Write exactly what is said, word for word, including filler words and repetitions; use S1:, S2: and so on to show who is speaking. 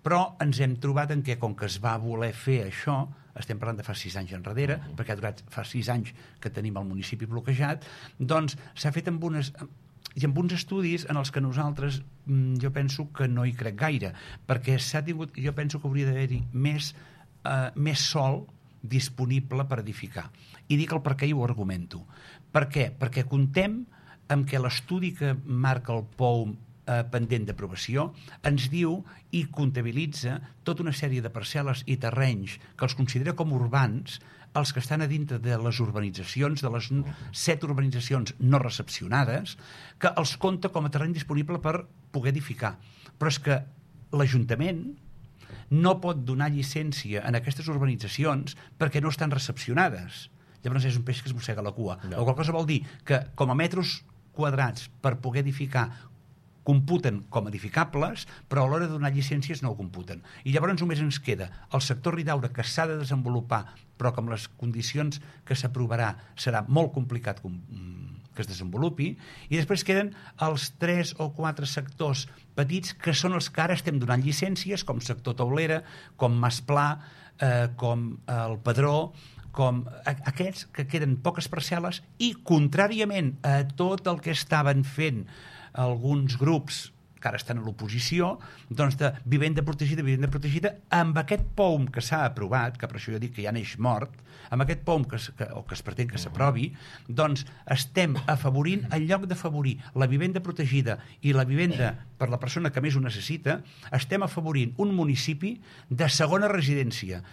S1: Però ens hem trobat en què, com que es va voler fer això, estem parlant de fa sis anys enrere, uh -huh. perquè ha durat fa sis anys que tenim el municipi bloquejat, doncs s'ha fet amb unes... i amb uns estudis en els que nosaltres jo penso que no hi crec gaire, perquè s'ha tingut, jo penso que hauria d'haver-hi més, eh, més sòl disponible per edificar. I dic el per què i ho argumento. Per què? Perquè contem amb què l'estudi que marca el P O U eh, pendent d'aprovació ens diu i comptabilitza tota una sèrie de parcel·les i terrenys que els considera com urbans, els que estan a dintre de les urbanitzacions, de les set urbanitzacions no recepcionades, que els compta com a terreny disponible per poder edificar. Però és que l'Ajuntament no pot donar llicència en aquestes urbanitzacions perquè no estan recepcionades. Llavors és un peix que es mossega la cua. No. La qual cosa vol dir que com a metres quadrats per poder edificar computen com edificables, però a l'hora de donar llicències no ho computen. I llavors només ens queda el sector Ridaura, que s'ha de desenvolupar, però que amb les condicions que s'aprovarà serà molt complicat que es desenvolupi, i després queden els tres o quatre sectors petits que són els que ara estem donant llicències, com sector Taulera, com Masplà, eh, com el Padró, com aquests que queden poques parcel·les, i contràriament a tot el que estaven fent alguns grups que ara estan a l'oposició, doncs de vivenda protegida, vivenda protegida, amb aquest P O U M que s'ha aprovat, que per això jo dic que ja neix mort, amb aquest P O U M que, que, o que es pretén que s'aprovi, doncs estem afavorint, en lloc d'afavorir la vivenda protegida i la vivenda per la persona que més ho necessita, estem afavorint un municipi de segona residència,